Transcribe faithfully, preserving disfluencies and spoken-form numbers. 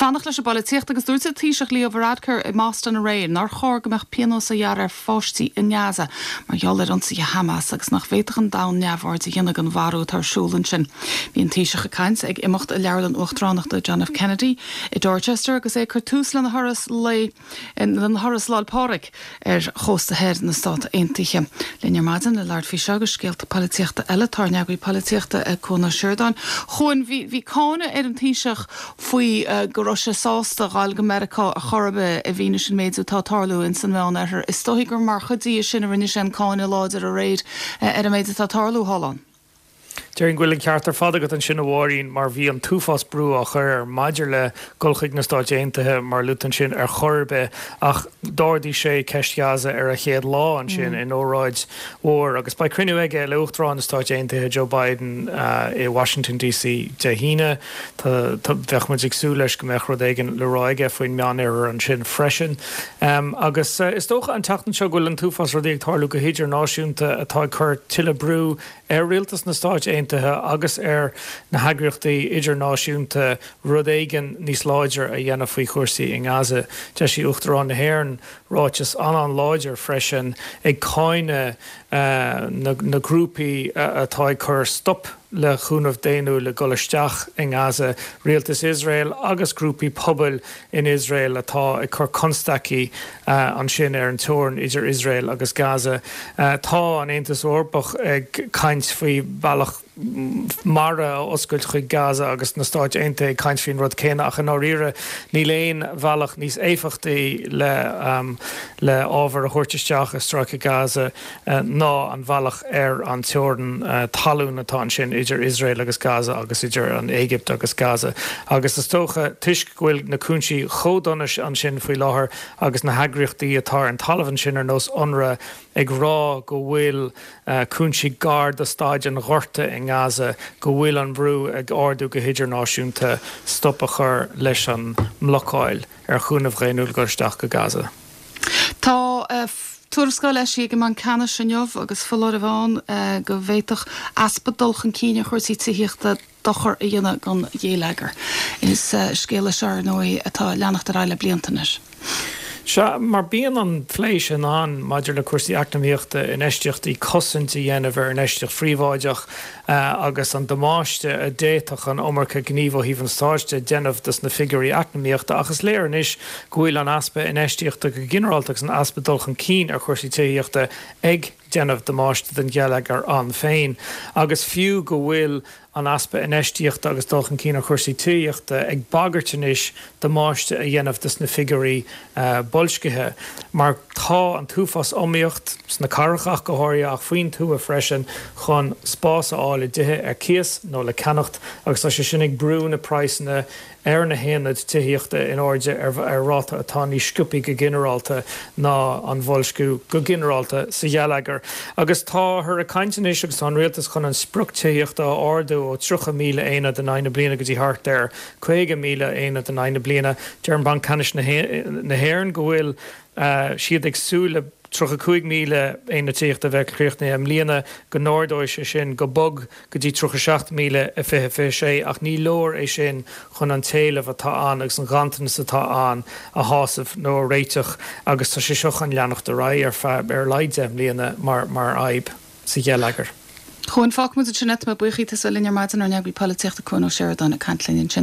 Fanacht leis an bpolaitíocht agus dúirt an Taoiseach Leo Varadkar i mBoston aréir nár chóir go mbeadh pionós á ghearradh ar pháistí i nGaza mar gheall ar ionsaithe Hamas agus nach bhféadfadh an domhan neamhaird a dhéanamh den mharú atá ar siúl ansin. Bhí an Taoiseach ag caint ag imeacht i Leabharlann Uachtaránachta John F. Kennedy i Dorchester agus é ag cur tús lena thuras lae lena thuras Lá 'le Pádraig ar chósta thoir na Stát Aontaithe. Linn ar maidin le labhairt faoi seo agus scéalta polaitíochta eile tá ár n-eagraí polaitíochta Cuan Ó Seireadáin. Chuan bhí bhí cáineadh ar an Taoiseach faoi uh, go raibh sé sásta dul go Meiriceá a chorbe i bhfianaise an méid atá ag tarlú in san Meánoirthear. Is dóigh gur mar chuid de sin a rinne sé an cáineadh láidir aréir uh, ar an méid atá ag tarlú thall ann. Déarfainn go bhfuil an ceart ar fad agat ansin a Mháirín mar bhí an t-uafás brú á chur air maidir le dul chuig na Stáit Aontaithe mar luaite ansin ar chor ar bith ach d'ardaigh sé ceist Gaza ar a chéad lá ansin mm. in óráid mhór agus beidh cruinniú aige le Uachtarán na Stát Aontaithe Joe Biden uh, i Washington DC Dé hAoine bheadh muid ag súil leis go mbeadh rud éigin le rá aige faoin Meánoirthear ansin freisin. Um, agus uh, is dócha an tseachtain seo go bhfuil an t-uafás rudaí ag tarlú go hidirnáisiúnta atá ag cur tuilleadh brú ar rialtas na Stát Aontaithe agus ar na heagraíochtaí idirnáisiúnta rud éigin níos láidre a dhéanamh faoi chúrsaí i nGaza. D'eisigh Uachtarán na hÉireann ráiteas an-an-láidir freisin ag cáineadh uh, na, na grúpaí uh, atá ag cur stop le cúnamh daonnúil le dul isteach i nGaza, rialtas Iosrael agus grúpaí pobail in Iosrael atá ag cur constaicí uh, ansin ar an teorainn idir Iosrael agus Gaza. Uh, tá an Aontas Eorpach ag caint faoi bealach mara a oscailt chuig Gaza agus na Stáit Aontaithe ag caint faoin rud céanna ach i ndáiríre níl aon bhealach níos éifeachtaí le um, le ábhar a thabhairt isteach i stráice Gaza uh, ná an bealach ar an teorainn uh, talún atá ansin idir Iosrael agus Gaza agus idir an Éigipt agus Gaza. Agus is dócha toisc go bhfuil na cúinsí chomh dona ansin faoi láthair agus na heagraíochtaí atá ar an talamh ansin ar nós UNRWA ag rá go bhfuil uh, cúinsí gar do staid an ghorta i nGaza go bhfuil an brú ag ardú go hidirnáisiúnta stop a chur leis an mblocáil ar chúnamh daonnúil dul isteach go Gaza. Tá uh, Tuarascáil eisithe ag an mBanc Ceannais inniu agus foláireamh ann uh, go bhféadfadh easpa dul chun cinn ar chúrsaí tithíochta dochar a dhéanamh don gheilleagar. Is uh, scéal é seo nó atá ag leanacht ar aghaidh le blianta anois. Sea mar bíonn an plé sin ann maidir le cúrsaí eacnamaíochta infheistíochtaí cosaint a dhéanamh ar infheistíocht phríobháideach uh, agus an damáiste a d'fhéadfadh an iomarca gníomh ó thaobh an stáit déanamh dos na figiúirí eacnamaíochta agus léir anois go bhfuil an easpa infheistíochta go ginearálta agus an easpa dul chun cinn ar chúrsaí tithíochta ag déanamh damáiste den gheilleagar ann féin. agus fiú go bhfuil an easpa infheistíochta agus dul chun cinn ar chúrsaí tithíochta ag bagairt anois damáiste a dhéanamh dos na figiúirí uh, boilscithe. Mar tá an t-uafás iomaíocht sna cathracha go háirithe ach faoin tuath freisin chun spás a fháil i dtithe ar cíos nó le ceannacht agus tá sé sin ag brú na praghsanna ar na haonaid tithíochta in airde ar, ar ráta atá níos sciobtha go ginearálta ná an boilsciú go ginearálta sa gheilleagar. Agus táthar ag caint anois agus tá an rialtas chun an sprioc tithíochta a ardú ó tríocha míle aonad in aghaidh na bliana go dtí thart ar caoga míle aonad in aghaidh na bliana deir an Banc Ceannais na hÉireann go bhfuil uh, siad ag súil le tríocha cúig míle aonad tithíochta bheith críochnaithe i mbliana go n-ardóidh sé sin go bog go dtí tríocha seacht míle i fiche fiche sé ach ní leor é sin chun an t-éileamh atá ann agus an ganntanas atá ann a shásamh nó a réiteach agus tá sé seo chun leanacht ar aghaidh ar feadh ar a laghad deich mbliana mar mar fhadhb sa gheilleagar. Chuan fágfaimid ansin é buíochas linn ar maidin ár n-eagraí polaitíochta Cuan Ó Seireadáin ag caint linn ansin.